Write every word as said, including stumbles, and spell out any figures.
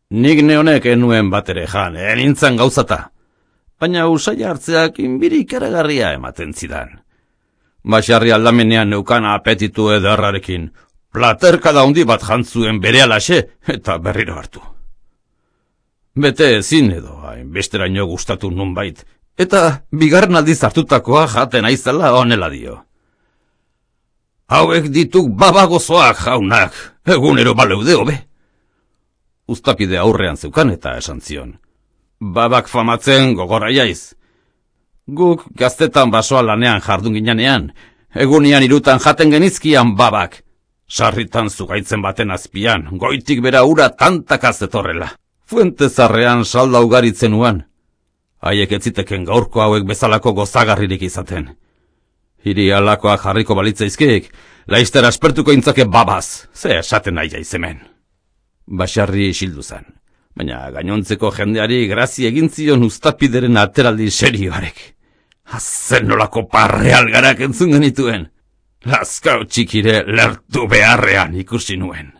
Nik neonek enuen bat ere jan, enintzan gauzata. Baina usai hartzeak inbiri ikaragarria ematen zidan. Baxarri aldamenean neukan apetitu ederrarekin, platerkada handi bat jantzuen berealaxe eta berriro hartu. Bete ezin edo, hainbesteraino gustatu nunbait, eta bigarren aldiz hartutakoa jaten aizela honela dio. Hauek dituk babagozoak jaunak, egunero baleude hobe. Uztapide aurrean zeukan eta esan zion. Babak famatzen gogorra jaiz. Guk gaztetan basoa lanean jardun ginanean, egunian irutan jaten genizkian babak. Sarritan zugaitzen baten azpian, goitik bera ura tantakaz etorrela. Fuente zarrean salda ugaritzen uan. Haiek etziteken gaurko hauek bezalako gozagarririk izaten. Hiri alakoa jarriko balitzaizkeek, laizter aspertuko intzake babaz, ze esaten nahi jaizemen. Baxarri isildu zen, baina gainontzeko jendeari grazi egin zion uztapideren ateraldi serioarek. Azen nolako parrealgarak entzun genituen. Lazkau txikire lertu beharrean ikusi nuen.